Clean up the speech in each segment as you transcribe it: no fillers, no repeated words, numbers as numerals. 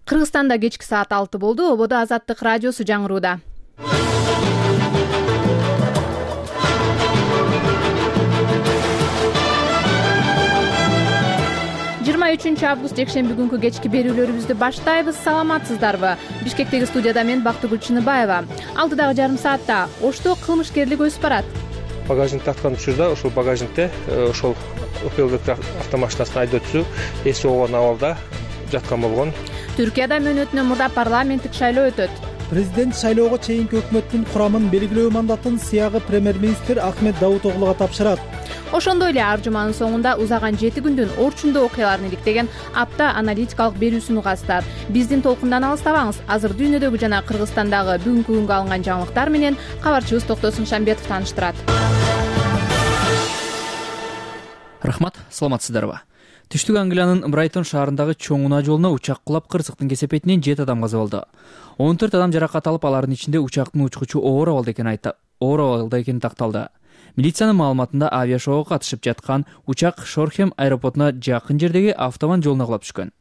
Кыргызстанда кечки саат 6 болду. Ободо Азаттык радиосу жаңырууда. 23 август жекшемби күнкү кечки берүүлөрүбүздү баштайбыз. Саламатсыздарбы? Бишкектеги студияда мен Бактыгүл Чыныбаева. Алдыдагы жарым саатта Ошто кылмышкерлик өсүп барат. Багажникти ачкан учурда ошол багажникте ошол Opel автомашинасын айдоочусу эси огон абалда жаткан болгон. Түркияда мөөнөтүнөн мурда парламенттик шайлоо өтөт. Президент шайлоого чейинки өкмөттүн курамын белгилөө мандатын сыягы премьер-министр Ахмет Давутоглуга тапшырат. Ошондой эле ар жуманын соңунда узаган 7 күндүн орчундуу окуяларын иликтеген апта аналитикалык берүүсүн угасыздар. Биздин толкундан алыстабаңыз. Азыр дүйнөдөгү жана Кыргызстандагы бүгүнкү күнгө алынган жаңылыктар менен кабарчыбыз Токтосун Шамбетов тааныштырат. Рахмат, саламатсыздарбы? Түштүк Англиянын Брайтон шаарындагы чоң унаа жолуна учак кулап кырсыктын кесепетинен 7 адам каза болду. 14 адам жаракат алып, алардын ичинде учактын учкучу оор абалда экени такталды. Милициянын маалыматында авиашоого катышып жаткан учак Шорхем аэропортуна жакын жердеги автобан жолуна кулап түшкөн.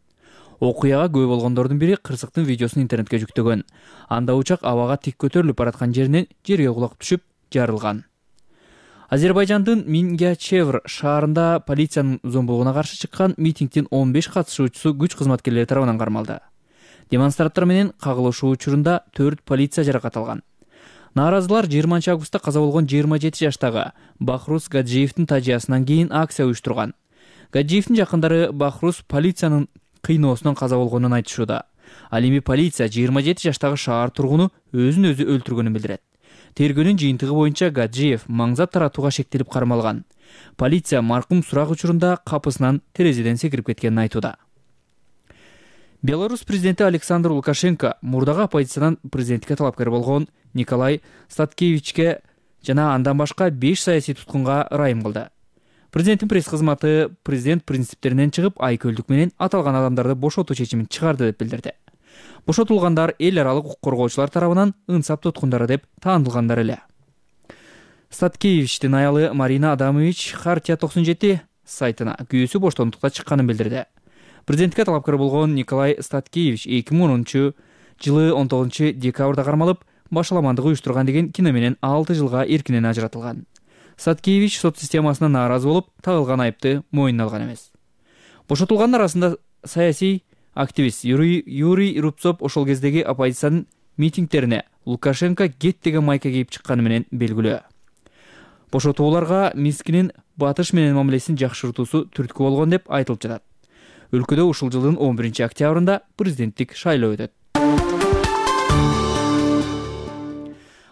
Окуяга күбө болгондордун бири кырсыктын видеосун интернетке жүктөгөн. Анда учак абага тик көтөрүлүп бараткан жеринен жерге кулап түшүп жарылган. Азербайжандын Мингячевр шаарында полициянын зомбулугуна каршы чыккан митингдин 15 катышуучусу күч кызматкерлери тарабынан кармалды. Демонстранттар менен кагылышуу учурунда 4 полиция жаракат алган. Нааразылар 20 августта каза болгон 27 жаштагы Бахрус Гаджиевдин тажыясынан кийин акция уюштурган. Гаджиевдин жакындары Бахрус полициянын кыйноосунан каза болгонун айтышууда. Ал эми полиция 27 жаштагы шаар тургуну өзүн өзү өлтүргөнүн билдирет. Тергөөнүн жыйынтыгы боюнча Гаджиев маңзат таратууга шектелип кармалган. Полиция маркум сурак учурунда капысынан терезеден секирип кеткенин айтууда. Беларусь президенти Александр Лукашенко мурдагы оппозициянын президенттикке талапкер болгон Николай Статкевичке жана андан башка 5 саясий туткунга ырайым кылды. Президенттин пресс-кызматы президент принциптеринен чыгып, айкөлдүк менен аталган адамдарды бошотуу чечимин чыгарды деп билдирди. Бошотулгандар эл аралык укук коргоочулар тарабынан ынсап туткундары деп таанылгандар эле. Статкевичтин аялы Марина Адамович Хартия 97 сайтына күйөөсү боштондукта чыкканын билдирди. Президентке талапкер болгон Николай Статкевич 2010 жылы 19 декабрда кармалып, башаламандык уюштурган деген кино менен 6 жылга эркинен ажыратылган. Статкевич сот системасына нааразы болуп, тагылган айыпты мойнуна алган эмес. Бошотулгандар арасында саясий активист Юрий Рубцов ошол кездеги оппозициянын митингдерине Лукашенко кет деген майка кийип чыкканы менен белгилүү. Бошотууларга Минскинин батыш менен мамилесин жакшыртуусу түрткү болгон деп айтылып жатат. Өлкөдө ушул жылдын 11 октябрында президенттик шайлоо өтөт.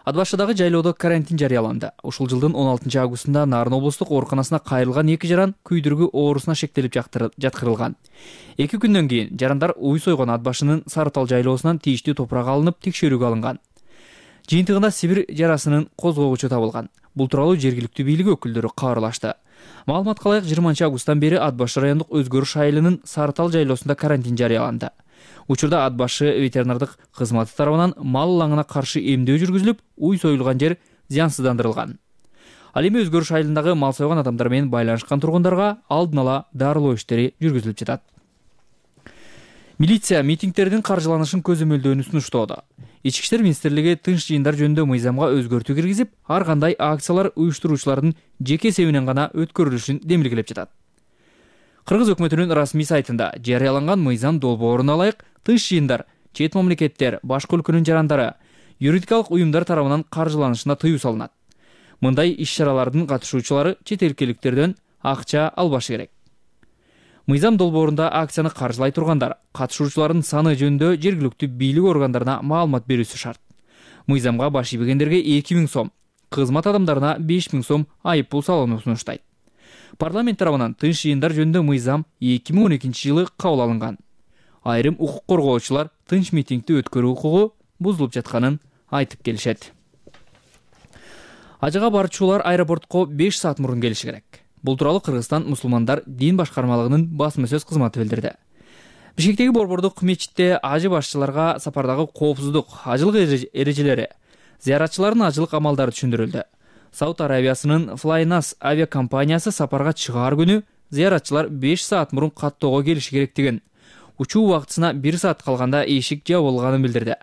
Ат Башыдагы жайлоодо карантин жарыяланды. Ушул жылдын 16 августунда Нарын облустук ооруканасына кайрылган 2 жаран күйдүргү оорусуна шектелип жаткырылган. 2 күндөн кийин жарандар уй сойгон Ат Башынын Сарытал жайлоосунан тийиштүү топурак алынып, текшерүүгө алынган. Жыйынтыгында Сибир жарасынын козгогучу табылган. Бул тууралуу жергиликтүү бийлик өкүлдөрү кабарлашты. Маалыматка ылайык 20 августтан бери Ат Башы райондук өзгөрүш айылынын Сарытал жайлоосунда карантин жарыяланды. Учурда Ат Башы ветеринардык кызматы тарабынан мал лаңына каршы эмдөө жүргүзүлүп, уй союлган жер зыянсыздандырылган. Ал эми өзгөрүш айылындагы мал сойгон адамдар менен байланышкан тургундарга алдын ала дарылоо иштери жүргүзүлүп жатат. Милиция митингдердин каржыланышын көзөмөлдөөнү сунуштоодо. Ички иштер министрлиги тынч жыйындар жөнүндө мыйзамга өзгөртүү киргизип, ар кандай акциялар уюштуруучулардын жеке эсебинен гана өткөрүлүшүн демилгелеп жатат. Кыргыз өкмөтүнүн расмий сайтында жарыяланган мыйзам долбооруна ылайык тынч жыйындар, чет мамлекеттер, башка өлкөнүн жарандары, юридикалык уюмдар тарабынан каржыланышына тыюу салынат. Мындай иш-чаралардын катышуучулары чет элдиктерден акча албашы керек. Мыйзам долбоорунда акцияны каржылай тургандар катышуучулардын саны жөнүндө жергиликтүү бийлик органдарына маалымат берүүсү шарт. Мыйзамга баш ийбегендерге 2000 сом, кызмат адамдарына 5000 сом айып пул салууну сунуштайт. Парламент тарабынан тынч жыйындар жөнүндө мыйзам 2012 жылы кабыл алынган. Айрым укук коргоочулар тынч митингди өткөрүү укугу бузулуп жатканын айтып келишет. Ажыга барчулар аэропортко 5 саат мурун келиши керек. Бул тууралуу Кыргызстан мусулмандар дин башкармалыгынын басма сөз кызматы билдирди. Бишкектеги борбордук мечитте ажы башчыларга сапардагы коопсуздук, ажылык эрежелери, зыяратчылардын ажылык амалдары түшүндүрүлдү. Сауд Арабиясынын Flynas авиакомпаниясы сапарга чыгаар күнү зыяратчылар 5 саат мурун каттоого келиши керектигин, учуу убактысына 1 саат калганда эшик жабылганын билдирди.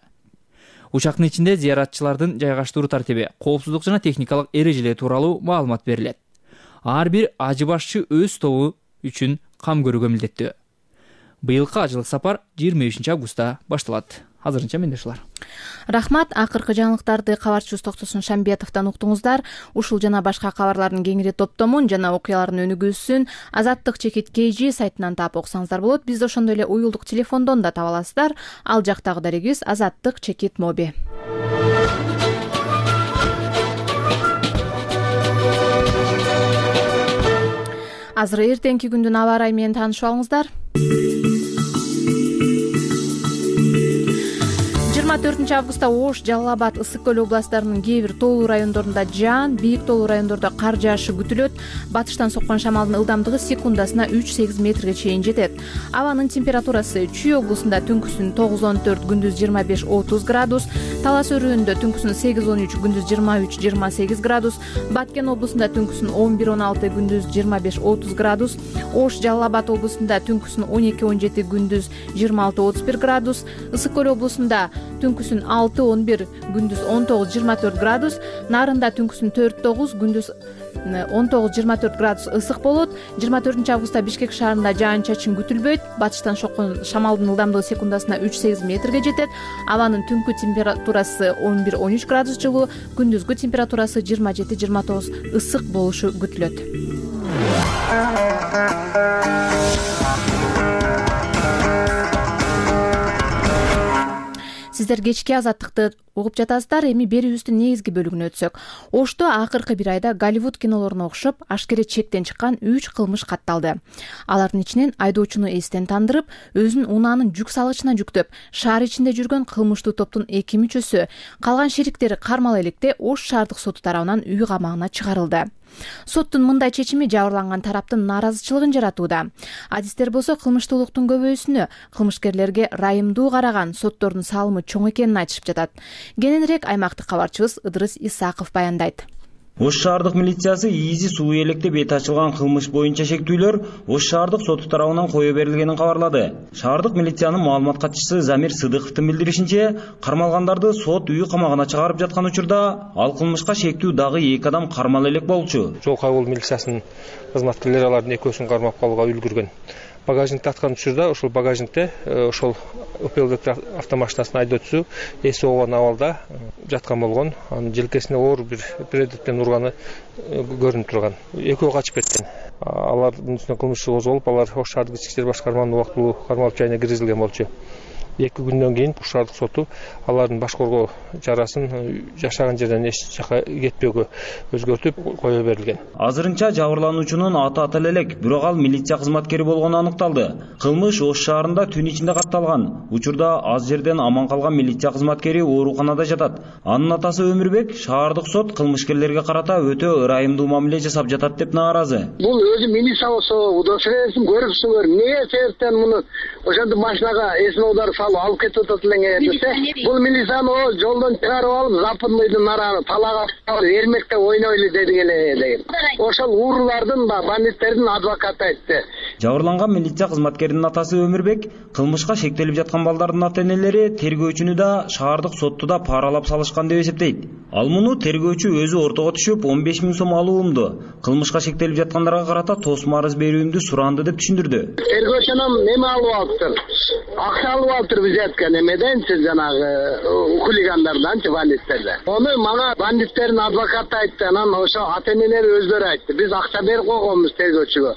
Учактын ичинде зыяратчылардын жайгаштыруу тартиби, коопсуздук жана техникалык эрежелери тууралуу маалымат берилет. Ар бир ажы башчы өз тобу үчүн кам көрүүгө милдеттүү. Быйылкы ажылык сапар 23 августта башталат. Азырынча менде ушулар. Рахмат. Акыркы жаңылыктарды кабарчыбыз Токтосун Шамбетовдон уктуңуздар. Ушул жана башка кабарлардын кеңири топтомун жана окуялардын өнүгүүсүн Азаттык чекит KG сайтынан таап окусаңыздар болот. Бизди ошондой эле уюлдук телефондон да таба аласыздар. Ал жактагы дарегибиз Азаттык чекит моби. Азыр эртеңки күндүн аба ырайы менен таанышып алыңыздар. 24 августта Ош, Жалал Абад, Ысык көл областарынын кээ бир тоолуу райондорунда жаан, бийик тоолуу райондордо кар жаашы күтүлөт. Батыштан соккон шамалдын ылдамдыгы секундасына 3-8 метрге чейин жетет. Абанын температурасы Чүй облусунда түнкүсүн 9-14, күндүз 25-30 градус, Талас өрүүндө түнкүсүн 8-13, күндүз 23-28 градус, Баткен облусунда түнкүсүн 11-16, күндүз 25-30 градус, Ош, Жалал Абад облусунда түнкүсүн 12-17, күндүз 26-31 градус, Ысык көл облусунда түнкүсүн 6-11, күндүз 19-24 градус, Нарында түнкүсүн 4-9, күндүз 19-24 градус ысык болот. 24 августта Бишкек шаарында жаан-чачын күтүлбөйт. Батыштан соккон шамалдын ылдамдыгы секундасына 3-8 метрге жетет. Абанын түнкү температурасы 11-13 градус жылуу, күндүзгү температурасы 27-29 ысык болушу күтүлөт. Сиздер кечки Азаттыкты угуп жатасыздар. Эми берүүбүздүн негизги бөлүгүнө өтсөк. Ошто акыркы бир айда Голливуд кинолоруна окшоп ашкере чектен чыккан 3 кылмыш катталды. Алардын ичинен айдоочуну эстен тандырып, өзүнүн унаанын жүк салгычына жүктөп, шаар ичинде жүргөн кылмыштуу топтун 2 мүчөсү, калган шериктери кармала электе Ош шаардык соту тарабынан үй камагына чыгарылды. Соттун мындай чечими жабырланган тараптын нааразычылыгын жаратууда. Адистер болсо кылмыштуулуктун көбөйүүсүнө, кылмышкерлерге райымдуу караган соттордун салымы чоң экенин айтышып жатат. Кененирээк аймактык кабарчыбыз Ыдырыс Исаков баяндайт. Ош шаардык милициясы Ийизи суу электе бет ачылган кылмыш боюнча шектүүлөр Ош шаардык соту тарабынан кое берилгенин кабарлады. Шаардык милициянын маалымат катчысы Замир Сыдыковдун билдиришинче, кармалгандарды сот үй камагына чыгарып жаткан учурда ал кылмышка шектүү дагы 2 адам кармала элек болчу. Жол кайгыл милициясынын кызматкерлери алардын экөөсүн кармап калууга үлгүргөн. Багажникти аткан учурда ошол багажникте ошол Opel автомашинасынын айдоочусу эси оонгон абалда жаткан болгон. Анын желкесине оор бир предметпен урганы көрүнүп турган. Экөө качып кеткен. Алардын үстүнө кылмыш козголуп, алар Ош шаардык ички иштер башкарманын убактылуу кармалып жайына киргизилген болчу. 2 күндөн кийин Ош шаардык соту алардын баш коргоо чарасын жашаган жерден эч жака кетпөөгө өзгөртүп кое берилген. Азырынча жабырлануучунун аты элек, бирок ал милиция кызматкери болгону аныкталды. Кылмыш Ош шаарында түн ичинде катталган. Учурда аз жерден аман калган милиция кызматкери ооруканада жатат. Анын атасы Өмүрбек шаардык сот кылмышкерлерге карата өтө ырайымдуу мамиле жасап жатат деп нааразы. Бул өзү милиция болсо, удостоверениесин көрүпсүңөр, эмне себептен муну ошондо машинага эсин оодарып алып кетип атат элеңер десе, бул милицияны жолдон чыгарып алып, западныйдын араны талага эрмекте ойнойлу деген эле. Ошол уурулардын, бандиттердин адвокаты айтты. Жабырланган милиция кызматкеринин атасы Өмүрбек кылмышка шектелип жаткан балдардын ата-энелери тергөөчүнү да шаардык сотту да паралап салышкан деп эсептейт. Ал муну тергөөчү өзү ортого түшүп 15 000 сом алуумду, кылмышка шектелип жаткандарга карата тосма арыз берүүмдү суранды деп түшүндүрдү. Тергөөчүнөн неме алып алыптыр? Акча алып алыптыр биз айткан эмеденчи, жанагы хулигандарданчы, бандиттерден. Ону мага бандиттердин адвокаты айтты, анан ошо ата-энелери өздөрү айтты. Биз акча берип койгонбуз тергөөчүгө.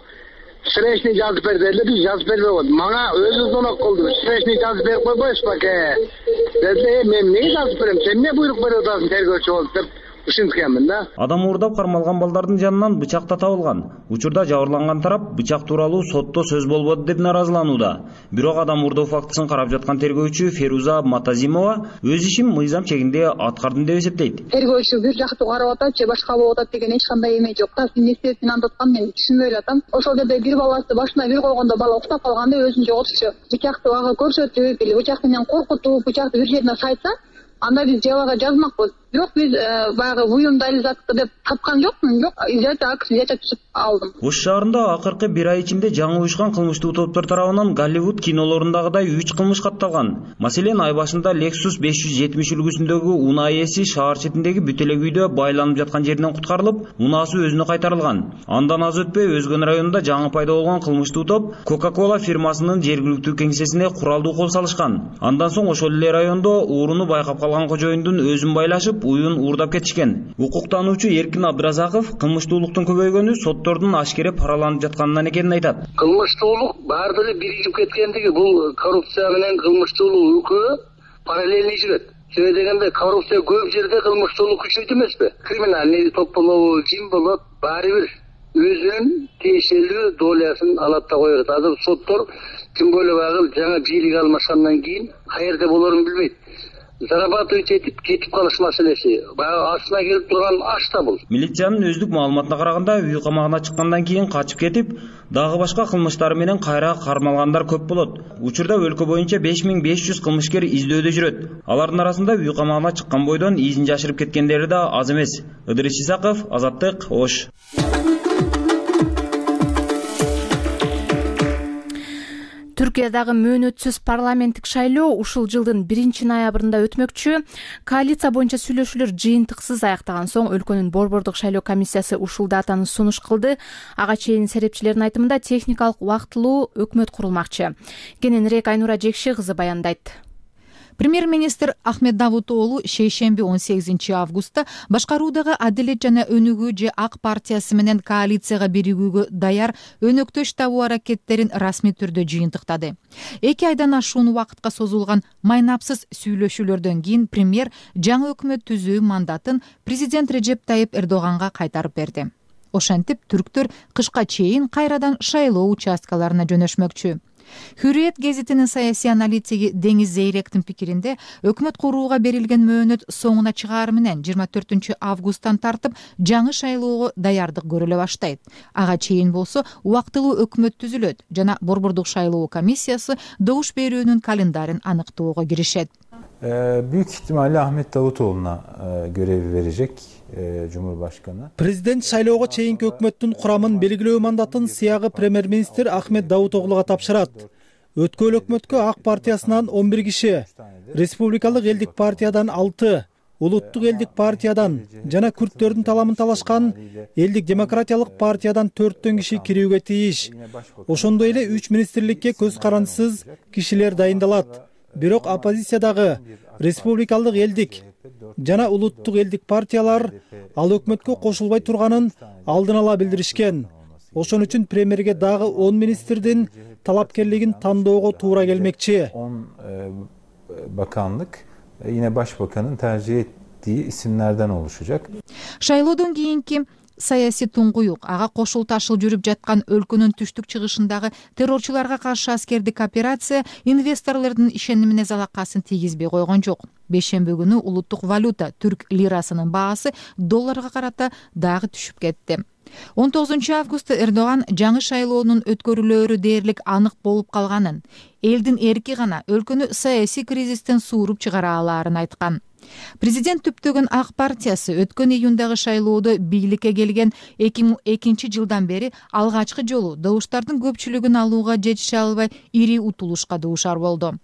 Сречный жазып бер деди, биз жазып бербей койдук. Мага өзү звонок кылды. Сречный жазып берип койбойсузбу аке? Деди, мен эмне жазып берем? Сен эмне буйрук берип атасың тергөөчү болуп деп ушинткенмин да. Адам уурдап кармалган балдардын жанынан бычак да табылган. Учурда жабырланган тарап бычак тууралуу сотто сөз болбоду деп наразыланууда. Бирок адам уурдоо фактысын карап жаткан тергөөчү Феруза Матазимова өз ишин мыйзам чегинде аткардым деп эсептейт. Тергөөчү бир жактуу карап атат же башка болуп атат деген эч кандай эме жок да. Эмне себептен андыткан мен түшүнбөй элатам. Ошол жерде бир баласы башына бир койгондо бала уктап калганда өзүн жоготчу. Бычакты ага көрсөтүп, бычак менен коркутуп, бычакты бир жерине сайтса, анда биз жалага жазмакпыз. Бирок биз баягы буюмдайлы затты деп тапкан жокмун. Жок, взятие түзүп алдым. Ош шаарында акыркы бир ай ичинде жаңы уюшкан кылмыштуу топтор тарабынан Голливуд кинолорундагыдай 3 кылмыш катталган. Маселен, ай башында Lexus 570 үлгүсүндөгү унаа ээси шаар четиндеги бүтөлөк үйдө байланып жаткан жеринен куткарылып, унаасы өзүнө кайтарылган. Андан аз өтпөй Өзгөн районунда жаңы пайда болгон кылмыштуу топ Coca-Cola фирмасынын жергиликтүү кеңсесине куралдуу кол салышкан. Андан соң ошол эле райондо ооруну байкап калган кожоюндун өзүн байлашып, уюн уурдап кетишкен. Укуктануучу Эркин Абдыразаков кылмыштуулуктун көбөйгөнү соттордун ашкере параланып жатканынан экенин айтат. Кылмыштуулук баардыгы биригип кеткендиги, бул коррупция менен кылмыштуулук экөө параллельный жүрөт. Себеби дегенде коррупция көп жерде кылмыштуулук күчөйт эмеспи? Криминальный топ болобу, ким болот, баары бир өзүнүн тиешелүү долясын алат да коет. Азыр соттор тем более багыл жаңа бийлик алмашкандан кийин каерде болорун билбейт. Зарабатывать этип кетип калыш маселеси. Баягы астына келип турган аш да бул. Милициянын өздүк маалыматына караганда, үй камагына чыккандан кийин качып кетип, дагы башка кылмыштары менен кайра кармалгандар көп болот. Учурда өлкө боюнча 5500 кылмышкер издөөдө жүрөт. Алардын арасында үй камагына чыккан бойдон изин жашырып кеткендери да аз эмес. Ыдырыс Исаков, Азаттык, Ош. Түркиядагы мөөнөтсүз парламенттик шайлоо ушул жылдын 1-ноябрында өтмөкчү. Коалиция боюнча сүйлөшүүлөр жыйынтыксыз аяктаган соң өлкөнүн борбордук шайлоо комиссиясы ушул датаны сунуш кылды. Ага чейин серепчилердин айтымында техникалык убактылуу өкмөт курулмакчы. Кененирээк Айнура Жекши кызы баяндайт. Премьер-министр Ахмед Давутоглу шейшемби 18 августта башкаруудагы Адилет жана Өнүгүү же Ак партиясы менен коалицияга биригүүгө даяр өнөктөш табуу аракеттерин расмий түрдө жыйынтыктады. 2 айдан ашуун убакытка созулган майнапсыз сүйлөшүүлөрдөн кийин премьер жаңы өкмөт түзүү мандатын президент Режеп Тайип Эрдоганга кайтарып берди. Ошентип түрктөр кышка чейин кайрадан шайлоо участкаларына жөнөшмөкчү. Hürriyet гезитинин саясий аналитиги Деңиз Зейректин пикиринде, өкмөт курууга берилген мөөнөт соңуна чыгаар менен 24 августтан тартып жаңы шайлоого даярдык көрүлө баштайт. Ага чейин болсо убактылуу өкмөт түзүлөт жана борбордук шайлоо комиссиясы добуш берүүнүн календарин аныктоого киришет. Büyük ihtimalle Ahmet Davutoğlu'na görevi verecek Cumhurbaşkanı. Президент шайлоого чейинки өкмөттүн курамын белгилөө мандатын сыягы премьер-министр Ахмет Давутоглуга тапшырат. Өткөн өкмөткө Ак партиясынан 11 киши, Республикалык элдик партиядан 6, Улуттук элдик партиядан жана күрттөрдүн таламын талашкан Элдик демократиялык партиядан 4 киши кирүүгө тийиш. Ошондой эле 3 министрликке көз карандысыз кишилер дайындалат. Бирок оппозициядагы Республикалык элдик жана улуттук элдик партиялар ал өкмөткө кошулбай турганын алдын ала билдиришкен. Ошон үчүн премьерге дагы 10 министрдин талапкерлигин тандоого туура келмекчи. 10 bakanlık yine başbakanın tercih ettiği isimlerden oluşacak. Шайлоодон кийинки саясий туңгуюк ага кошул ташыл жүрүп жаткан өлкөнүн түштүк чыгышындагы террорчуларга каршы аскердик операция инвесторлордун ишенимине залакасын тийгизбей койгон жок. Бейшемби күнү улуттук валюта түрк лирасынын баасы долларга карата дагы түшүп кетти. 19 августта Эрдоган жаңы шайлоонун өткөрүлөөрү дээрлик анык болуп калганын, элдин эрки гана өлкөнү саясий кризистен сууруп чыгара алаарын айткан. Президент түптөгөн Ак партиясы өткөн июндагы шайлоодо бийликке келген 2002 жылдан бери алгачкы жолу добуштардын көпчүлүгүн алууга жетише албай ири утулушка дуушар болду.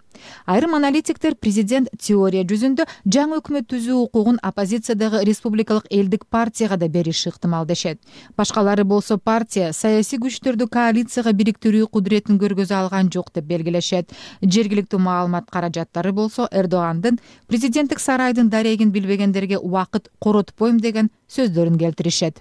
Айрым аналитиктер президент теория жүзүндө жаңы өкмөт түзүү укугун оппозициядагы Республикалык элдик партияга да бериши ыктымал дешет. Башкалары болсо партия саясий күчтөрдү коалицияга бириктирүү кудуретин көргөзө алган жок деп белгилешет. Жергиликтүү маалымат каражаттары болсо Эрдогандын президенттик сарайдын дарегин билбегендерге убакыт коротпойм деген сөздөрүн келтиришет.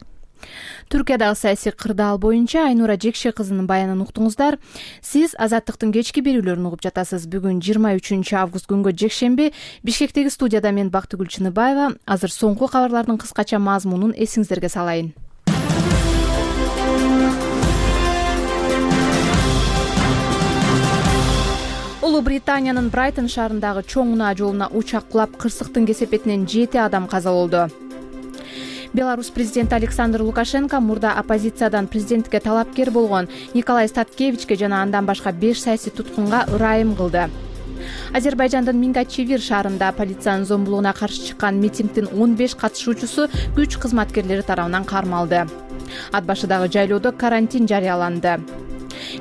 Түркиядагы саясий кырдаал боюнча Айнура Жекши кызынын баянын уктуңуздар. Сиз Азаттыктын кечки берүүлөрүн угуп жатасыз. Бүгүн 23 август күнгө жекшемби Бишкектеги студияда мен Бактыгүл Чыныбаева. Азыр соңку кабарлардын кыскача мазмунун эсиңиздерге салайын. Улуу Британиянын Брайтон шаарындагы чоң унаа жолуна учак кулап кырсыктын кесепетинен 7 адам каза болду. Беларусь президенти Александр Лукашенко мурда оппозициядан президенттикке талапкер болгон Николай Статкевичке жана андан башка 5 саясий туткунга ырайым кылды. Азербайжандын Мингачевир шаарында полициянын зомбулугуна каршы чыккан митингдин 15 катышуучусу күч кызматкерлери тарабынан кармалды. Ат башыдагы жайлоодо карантин жарыяланды.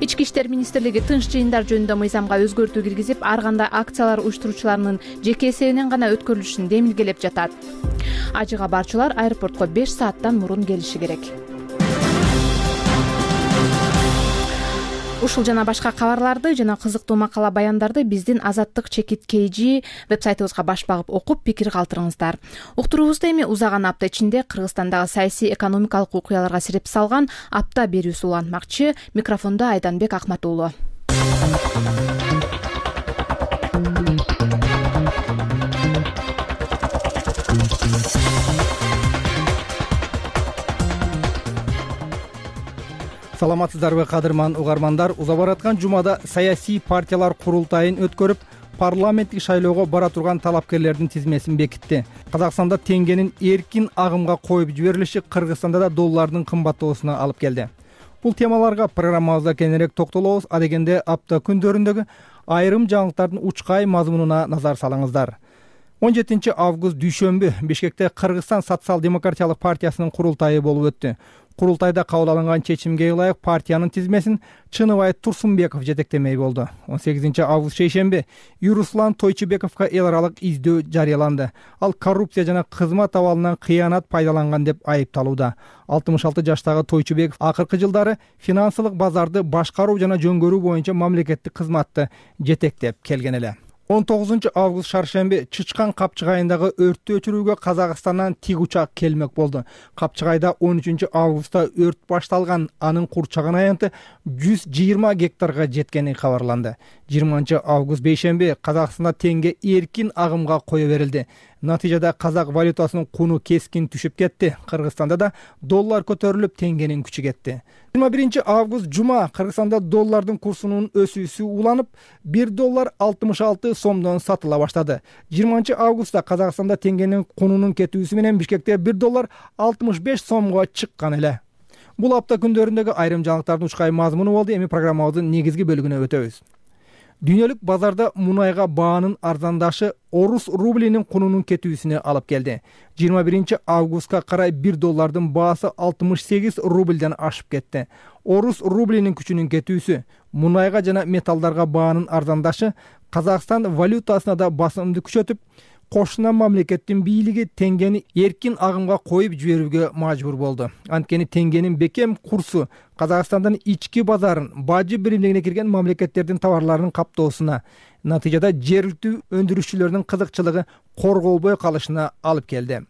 Ички иштер министрлиги тынч жыйындар жөнүндө мыйзамга өзгөртүү киргизип, ар кандай акциялар уюштуруучуларынын жеке эсебинен гана өткөрүлүшүн демилгелеп жатат. Ажыга барчылар аэропортко 5 сааттан мурун келиши керек. Ушул жана башка кабарларды жана кызыктуу макала баяндарды биздин Азаттык чекит KG вебсайтыбызга баш багып окуп, пикир калтырыңыздар. Уктуруубузда эми узаган апта ичинде Кыргызстандагы саясий экономикалык окуяларга сирип салган апта берүүсү улантмакчы. Микрофондо Айданбек Акматуулу. Саламатсыздарбы кадырман угармандар, уза бараткан жумада саясий партиялар курултайын өткөрүп, парламенттик шайлоого бара турган талапкерлердин тизмесин бекитти. Казакстанда теңгенин эркин агымга коюп жиберилиши Кыргызстанда да доллардын кымбаттоосуна алып келди. Бул темаларга программабызда кененирээк токтолобуз. Адегенде апта күндөрүндөгү айрым жаңылыктардын учкай мазмунуна назар салыңыздар. 17 август дүйшөмбү Бишкекте Кыргызстан социал-демократиялык партиясынын курултайы болуп өттү. Курултайда кабыл алынган чечимге ылайык партиянын тизмесин Чыныбай Турсунбеков жетектемей болду. 18 август шейшемби Юруслан Тойчубековго эл аралык издөө жарыяланды. Ал коррупция жана кызмат абалынан кыянат пайдаланган деп айыпталууда. 66 жаштагы Тойчубеков акыркы жылдары финансылык базарды башкаруу жана жөнгөрүү боюнча мамлекеттик кызматты жетектеп келген эле. 19 август шаршемби Чычкан Капчыгайындагы өрттү өчүрүүгө Казакстандан тик учак келмек болду. Капчыгайда 13 августта өрт башталган, анын курчаган аянты 120 гектарга жеткени кабарланды. 20 август бейшемби Казакстанда теңге эркин агымга кое берилди. Натыйжада казак валютасынын куну кескин түшүп кетти. Кыргызстанда да доллар көтөрүлүп, теңгенин күчү кетти. 21 август жума Кыргызстанда доллардын курсунун өсүүсү уланып, 1 доллар 66 сомдон сатыла баштады. 20 августта Казакстанда теңгенин кунунун кетүүсү менен Бишкекте 1 доллар 65 сомго чыккан эле. Бул апта күндөрүндөгү айрым жаңылыктардын учкай мазмуну болду. Эми программабыздын негизги бөлүгүнө өтөбүз. Дүйнөлүк базарда мунайга баанын арзандашы орус рублинин кунунун кетүүсүнө алып келди. 21 августка карай 1 доллардын баасы 68 рубльден ашып кетти. Орус рублинин күчүнүн кетүүсү, мунайга жана металлдарга баанын арзандашы Казакстан валютасына да басымды күчөтүп, кошуна мамлекеттин бийлиги теңгени эркин агымга коюп жиберүүгө мажбур болду. Анткени теңгенин бекем курсу Казакстандын ички базарын, бажы биримдигине кирген мамлекеттердин товарларынын каптоосуна, натыйжада жергиликтүү өндүрүшчүлөрдүн кызыкчылыгы корголбой калышына алып келди.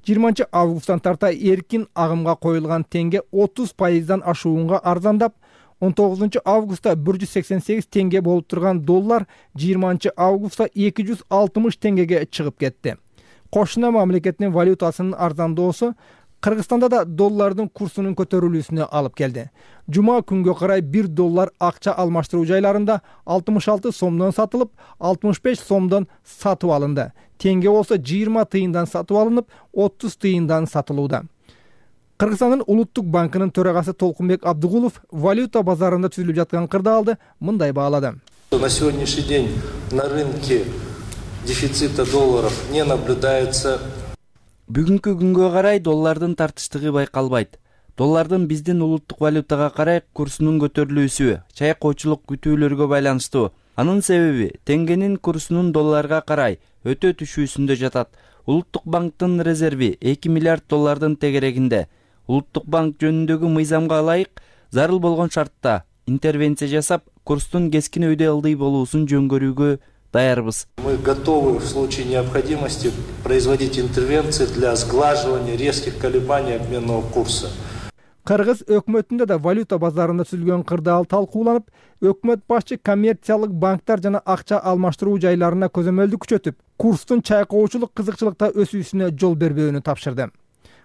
20 августтан тарта эркин агымга коюлган теңге 30% ашуунга арзандап, 19 августта 188 теңге болуп турган доллар 20 августта 260 теңгеге чыгып кетти. Кошуна мамлекеттин валютасынын арзандоосу Кыргызстанда да доллардын курсунун көтөрүлүүсүнө алып келди. Жума күнгө карай 1 доллар акча алмаштыруу жайларында 66 сомдон сатылып, 65 сомдон сатып алынды. Теңге болсо 20 тыйындан сатып алынып, 30 тыйындан сатылууда. Кыргызстандын Улуттук банкынын төрагасы Толкунбек Абдыгулов валюта базарында түзүлүп жаткан кырдаалды мындай баалады. На сегодняшний день на рынке дефицита долларов не наблюдается. Бүгүнкү күнгө карай доллардын тартыштыгы байкалбайт. Доллардын биздин улуттук валютага карай курсунун көтөрүлүүсү чайкоочулук күтүүлөргө байланыштуу. Анын себеби теңгенин курсунун долларга карай өтө түшүүсүндө жатат. Улуттук банктын резерви 2 миллиард доллардын тегерегинде. Улуттук банк жөнүндөгү мыйзамга ылайык зарыл болгон шартта интервенция жасап, курстун кескин өйдө ылдый болуусун жөнгөрүүгө даярбыз. Мы готовы в случае необходимости производить интервенции для сглаживания резких колебаний обменного курса. Кыргыз өкмөтүндө да валюта базарында түзүлгөн кырдаал талкууланып, өкмөт башчы коммерциялык банктар жана акча алмаштыруу жайларына көзөмөлдү күчөтүп, курстун чайкоочулук кызыкчылыкта өсүүсүнө жол бербөөнү тапшырды.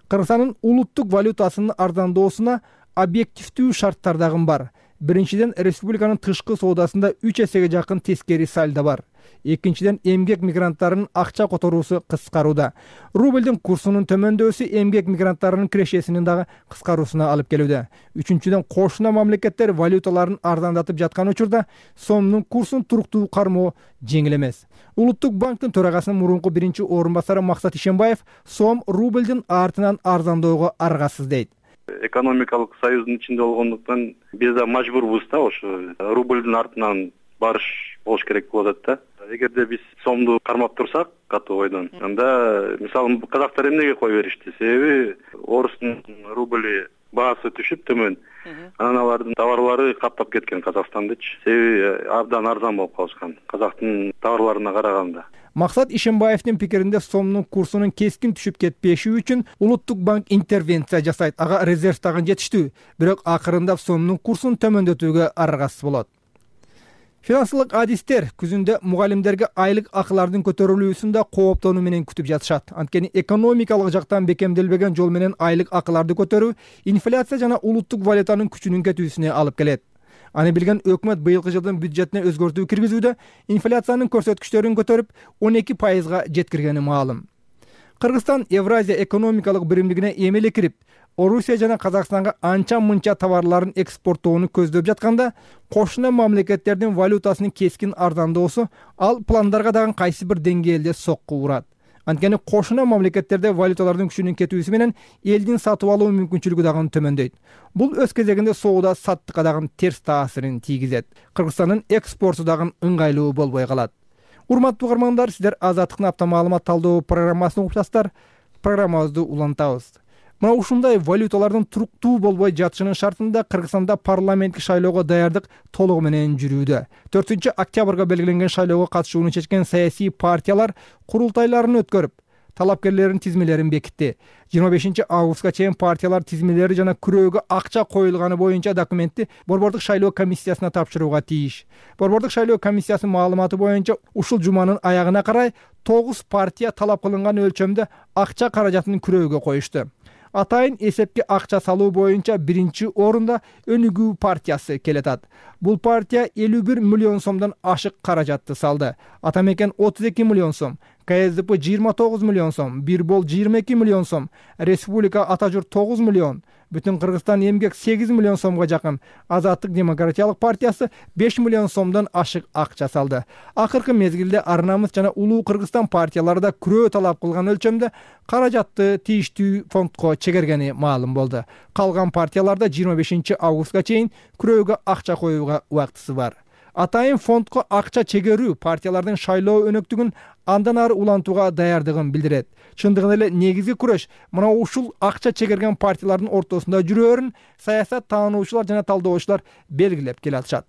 Кыргызстандын улуттук валютасынын арзандоосуна объективдүү шарттар дагы бар. Биринчиден, республиканын тышкы соодасында 3 эсеге жакын тескери сальдо бар. экинчиден эмгек мигранттарынын акча которуусу кыскарууда. Рублдун курсунун төмөндөшү эмгек мигранттарынын кирешесинин дагы кыскаруусуна алып келүүдө. Үчүнчүдөн кошуна мамлекеттер валюталарын арзандатып жаткан учурда сомдун курсун туруктуу кармоо жеңил эмес. Улуттук банктын төрагасынын мурунку биринчи орун басары Максат Ишенбаев сом рублдун артынан арзандоого аргасыз дейт. Экономикалык союздун ичинде болгондуктан биз да мажбурбуз да ошо рублдун артынан барыш болуш керек болот да. Эгерде биз сомду кармап турсак катуу ойдон, анда мисалы казактар эмнеге кое беришти? Себеби орустун рубли баасы түшүп төмөн. Анан алардын товарлары каптап кеткен Казакстандычы. Себеби абдан арзан болуп калышкан казактын товарларына караганда. Максат Ишенбаевдин пикиринде сомдун курсунун кескин түшүп кетпеши үчүн Улуттук банк интервенция жасайт. Ага резерв дагы жетиштүү, бирок акырында сомдун курсун төмөндөтүүгө аргасыз болот. Финансылык адистер күзүндө мугалимдерге айлык акылардын көтөрүлүүсүн да кооптонуу менен күтүп жатышат. Анткени экономикалык жактан бекемделбеген жол менен айлык акыларды көтөрүү инфляция жана улуттук валютанын күчүнүн кетүүсүнө алып келет. Аны билген өкмөт быйылкы жылдын бюджетине өзгөртүү киргизүүдө инфляциянын көрсөткүчтөрүн көтөрүп 12%га жеткиргени маалым. Кыргызстан Евразия экономикалык биримдигине эмеле кирип, Орусия жана Казакстанга анча-мынча товарларын экспорттоону көздөп жатканда, кошуна мамлекеттердин валютасынын кескин арзандоосу ал пландарга дагы кайсы бир деңгээлде сокку урат. Анткени кошуна мамлекеттерде валюталардын күчүнүн кетүүсү менен элдин сатып алуу мүмкүнчүлүгү дагы төмөндөйт. Бул өз кезегинде соода саттыкка дагы терс таасирин тийгизет. Кыргызстандын экспорту дагы ыңгайлуу болбой калат. Урматтуу угармандар, сиздер Азаттыктын апта маалымат талдоо программасын угуп жатасыздар. Программабызды улантабыз. Мына ушундай валюталардын туруктуу болбой жатышынын шартында Кыргызстанда парламенттик шайлоого даярдык толугу менен жүрүүдө. 4-октябрга белгиленген шайлоого катышууну чечкен саясий партиялар курултайларын өткөрүп, талапкерлердин тизмелерин бекитти. 25-августка чейин партиялар тизмелери жана күрөөгө акча коюлганы боюнча документти Борбордук шайлоо комиссиясына тапшырууга тийиш. Борбордук шайлоо комиссиясынын маалыматы боюнча ушул жуманын аягына карай 9 партия талап кылынган өлчөмдө акча каражатын күрөөгө коюшту. Атайын эсепке акча салуу боюнча биринчи орунда Өнүгүү партиясы келетат. Бул партия 51 миллион сомдон ашык каражатты салды. Атамекен 32 миллион сом, КСДП 29 миллион сом, Бирбол 22 миллион сом, Республика Ата журт 9 миллион, Бүтүн Кыргызстан эмгек 8 миллион сомго жакын, Азаттык демократиялык партиясы 5 миллион сомдон ашык акча салды. Акыркы мезгилде Ар-Намыс жана Улуу Кыргызстан партиялары да күрөө талап кылган өлчөмдө каражатты тийиштүү фондко чегергени маалым болду. Калган партияларда 25-августка чейин күрөөгө акча коюуга убактысы бар. Атайын фондко акча чегерүү партиялардын шайлоо өнөктүгүн андан ары улантууга даярдыгын билдирет. Чындыгында эле негизги күрөш мына ушул акча чегерген партиялардын ортосунда жүрөөрүн саясат таануучулар жана талдоочулар белгилеп келатышат.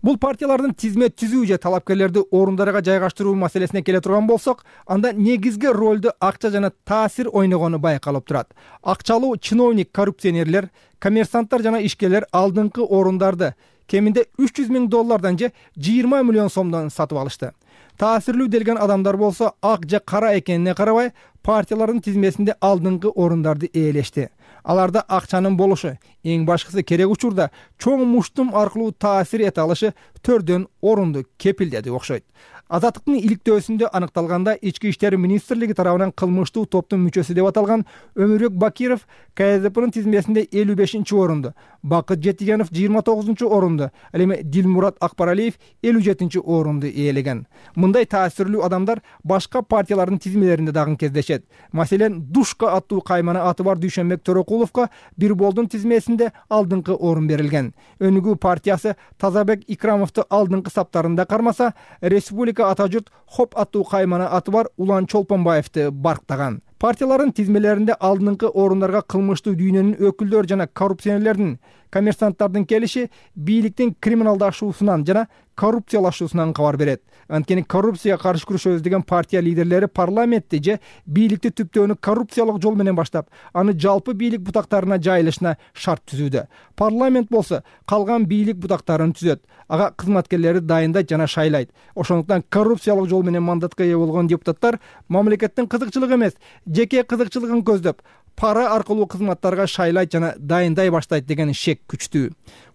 Бул партиялардын тизмет түзүү же талапкерлерди орундарга жайгаштыруу маселесине келе турган болсок, анда негизги ролду акча жана таасир ойногону байкалып турат. Акчалуу чиновник коррупционерлер, коммерсанттар жана ишкерлер алдыңкы орундарды кеминде $300,000 же 20 миллион сомдон сатып алышты. Таасирлүү делген адамдар болсо ак же кара экенине карабай партиялардын тизмесинде алдыңкы орундарды ээлешти. Аларда акчанын болушу, эң башкысы керек учурда чоң муштум аркылуу таасир эте алышы төрдөн орунду кепилдеди окшойт. Азаттыктын иликтөөсүндө аныкталганда Ички иштер министрлиги тарабынан кылмыштуу топтун мүчөсү деп аталган Өмүрбек Бакиров КСДПнын тизмесинде 55-орунду, Бакыт Жетигенов 29-орунду, ал эми Дилмурат Акбаралиев 57-орунду ээлеген. Мындай таасирлүү адамдар башка партиялардын тизмелеринде дагы кездешет. Маселен, Душка аттуу каймана аты бар Дүйшөнбек Төрөкуловго Бирболдун тизмесинде алдыңкы орун берилген. Өнүгүү партиясы Тазабек Икрамовду алдыңкы саптарында кармаса, Республика Ата журт Хоп аттуу каймана аты бар Улан Чолпонбаевди барктаган. Партиялардын тизмелеринде алдыңкы орундарга кылмыштуу дүйнөнүн өкүлдөрү жана коррупционерлердин, коммерсанттардын келиши бийликтин криминалдашуусунан жана коррупциялашуусунан кабар берет. Анткени коррупцияга каршы күрөшөбүз деген партия лидерлери парламентти же бийликти түптөөнү коррупциялык жол менен баштап, аны жалпы бийлик бутактарына жайылышына шарт түзүүдө. Парламент болсо калган бийлик бутактарын түзөт, ага кызматкерлери дайындайт жана шайлайт. Ошондуктан коррупциялык жол менен мандатка ээ болгон депутаттар мамлекеттин кызыкчылыгы эмес, жеке кызыкчылыгын көздөп, пара аркылуу кызматтарга шайлайт жана дайындай баштайт деген шек күчтүү.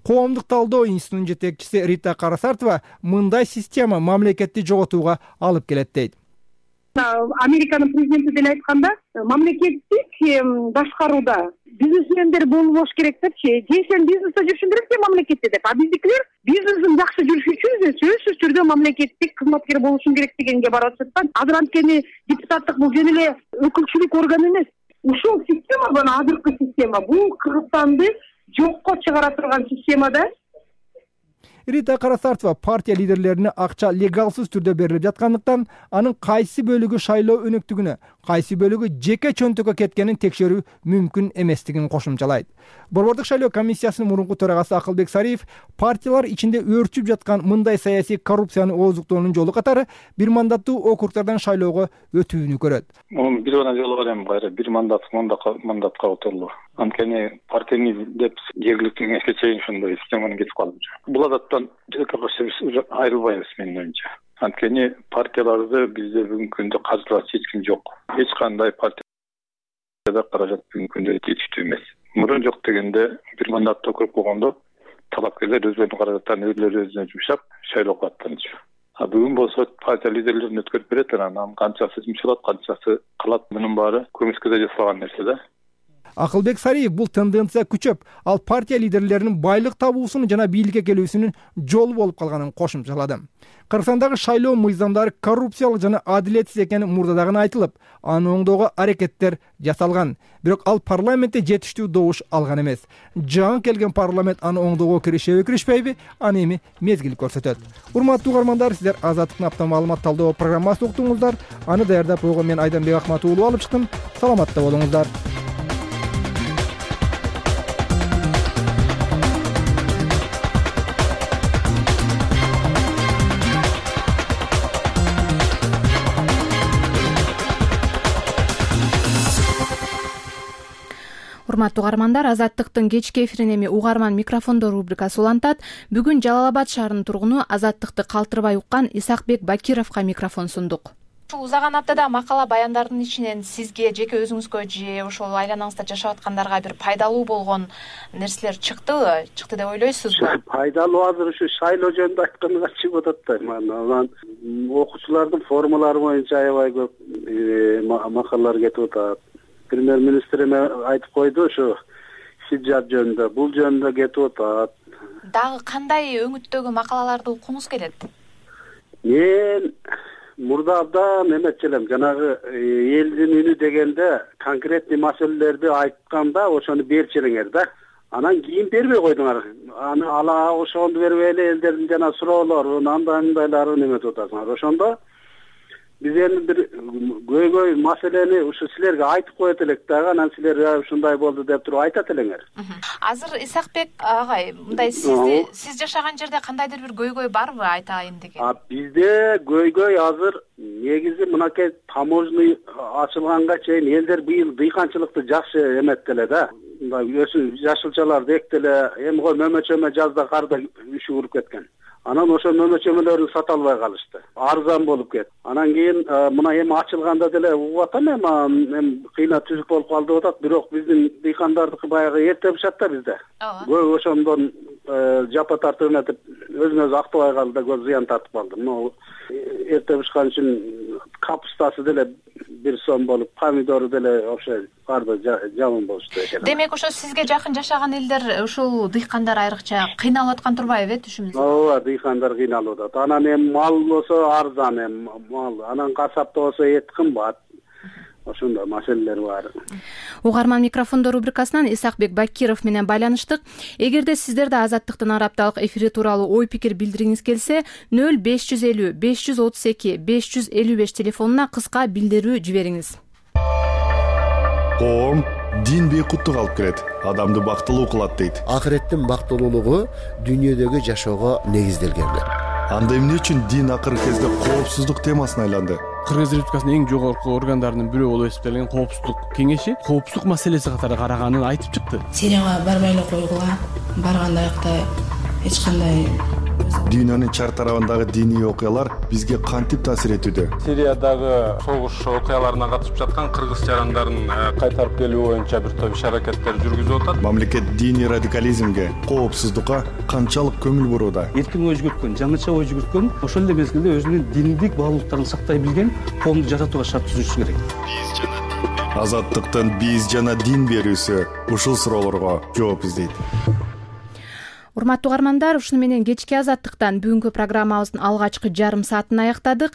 Коомдук талдоо институтунун жетекчиси Рита Карасартова мындай система мамлекетти жоготууга алып келет дейт. Американын президенти деле айтканда, мамлекеттик башкарууда бизнесмендер болбош керек депчи. Же сен бизнесте жүрүшүң керек, же мамлекетте деп. А биздикилер бизнесин жакшы жүрүш үчүн сөзсүз түрдө мамлекеттик кызматкер болушуң керек дегенге барып жатат. Азыр анткени депутаттык бул жөн эле өкүлчүлүк орган эмес. Ушул система бана азыркы система. Бул Кыргызстанды жокко чыгара турган система да. Рита Карасартова партия лидерлерине акча легалсыз түрдө берилип жаткандыктан анын кайсы бөлүгү шайлоо өнөктүгүнө, кайсы бөлүгү жеке чөнтөккө кеткенин текшерүү мүмкүн эместигин кошумчалайт. Борбордук шайлоо комиссиясынын мурунку төрагасы Акылбек Сариев партиялар ичинде өөрчүп жаткан мындай саясий коррупцияны ооздуктоонун жолу катары бир мандаттуу округдардан шайлоого өтүүнү көрөт. Бир гана жолу бар эми кайра бир мандатка отурулуу. Анткени партияны деп жергиликтүү кеңешке чейин ошондой системаны кетип калды. Бул адаттан уже айрылбайбыз менин оюмча. Анткени партияларды бизде бүгүнкү күндө каржылач эч ким жок. Эч кандай партияда каражат бүгүнкү күндө жетиштүү эмес. Мурун жок дегенде бир мандатты округ болгондо талапкерлер өздөрүнүн каражаттарын өздөрү өзүнө жумшап шайлоого аттанчу. Бүгүн болсо партия лидерлерин өткөрүп берет, анан канчасы жумшалат, канчасы калат, мунун баары көмүскөдө жасалган нерсе да. Акылбек Сариев бул тенденция күчөп, ал партия лидерлеринин байлык табуусунун жана бийликке келүүсүнүн жолу болуп калганын кошумчалады. Кыргызстандагы шайлоо мыйзамдары коррупциялык жана адилетсиз экени мурда дагы айтылып, аны оңдоого аракеттер жасалган. Бирок ал парламентте жетиштүү добуш алган эмес. Жаңы келген парламент аны оңдоого киришеби, киришпейби, аны эми мезгил көрсөтөт. Урматтуу угармандар, сиздер Азаттыктын апта маалымат талдоо программасын уктуңуздар. Аны даярдап койгон мен Айданбек Акмат уулу алып чыктым. Саламатта болуңуздар. Урматтуу угармандар, Азаттыктын кечки эфирин эми угарман микрофондор рубрикасы улантат. Бүгүн Жалал Абад шаарынын тургуну Азаттыкты калтырбай уккан Исакбек Бакировго микрофон сундук. Ушул узаган аптада макала баяндардын ичинен сизге жеке өзүңүзгө же ошол айланаңызда жашап аткандарга бир пайдалуу болгон нерселер чыктыбы? Чыкты деп ойлойсузбу? Пайдалуу азыр ушу шайлоо жөнүндө айтканга чыгып атат да. Анан окуучулардын формалары боюнча аябай көп макалалар кетип атат. Премьер-министр эме айтып койду ошо хиджаб жөнүндө, бул жөнүндө кетип атат. Дагы кандай өңүттөгү макалаларды окуңуз келет? Мен мурда абдан эметчү элем, жанагы элдин үнү дегенде конкретный маселелерди айтканда ошону берчү элеңер да. Анан кийин бербей койдуңар. Аны ала ошону бербей эле элдердин жана суроолорун, андайларын эметип атасыңар. Ошондо биз эми бир көйгөй маселени ушу силерге айтып коет элек дагы, анан силер ушундай болду деп туруп айтат элеңер. Азыр Исакбек агай, мындай сиз жашаган жерде кандайдыр бир көйгөй барбы айтайын деген? Бизде көйгөй азыр негизи мынакей таможный ачылганга чейин элдер быйыл дыйканчылыкты жакшы эметти эле да. Мындай жашылчаларды эктеле, эми го мөмөчөмө жазда карда үшү уруп кеткен. Анан ошо мөмөчөмөлөрүн сата албай калышты. Арзан болуп кетти. Анан кийин мына эми ачылганда деле угуп атам, эми кыйна түзүк болуп калды деп атат. Бирок биздин дыйкандардыкы баягы эрте бышат да бизде. Көп ошондон жапа тартып эметип өзүн өзү актабай калды да, көп зыян тартып калды. Могу эрте бышкан үчүн капустасы деле бир сом болуп, помидору деле вообще барды жаман болушту экен. Демек ошо сизге жакын жашаган элдер ушул дыйкандар айрыкча кыйналып аткан турбайбы түшүмүңүздө? Ооба, дыйкандар кыйналып атат. Анан эми мал болсо арзан мал, анан касапта болсо эт кымбат. Ошондой маселелер бар. Угарман микрофондор рубрикасынан Исакбек Бакиров менен байланыштык. Эгерде сиздерде Азаттыктын ар апталык эфири тууралуу ой пикир билдиргиңиз келсе, 0550 532 555 телефонуна кыска билдирүү жибериңиз. Коом дин бейкуттук алып келет, адамды бактылуу кылат дейт. Акыреттин бактылуулугу дүйнөдөгү жашоого негизделген. Анда эмне үчүн дин акыркы кезде коопсуздук темасына айланды? Кыргыз Республикасынын эң жогорку органдарынын бирөө болуп эсептелген коопсуздук кеңеши коопсуздук маселеси катары караганын айтып чыкты. Сирияга барбай эле койгула, барганда аякта эч кандай Дүйнөнүн чар тарабындагы диний окуялар бизге кантип таасир этүүдө? Сириядагы согуш окуяларына катышып жаткан кыргыз жарандарын кайтарып келүү боюнча бир топ иш-аракеттер жүргүзүп атат. Мамлекет диний радикализмге, коопсуздукка канчалык көңүл бурууда? Эркин ой жүгүрткөн, жаңыча ой жүгүрткөн, ошол эле мезгилде өзүнүн диндик баалуулуктарын сактай билген коомду жаратууга шарт түзүшү керек. Азаттыктын биз жана дин берүүсү ушул суроолорго жооп издейт. Урматтуу угармандар, ушуну менен кечки азаттыктан бүгүнкү программабыздын алгачкы жарым саатын аяктадык.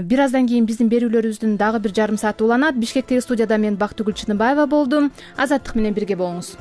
Бир аздан кийин биздин берүүлөрүбүздүн дагы бир жарым сааты уланат. Бишкектеги студияда мен Бактыгүл Чыныбаева болдум. Азаттык менен бирге болуңуз.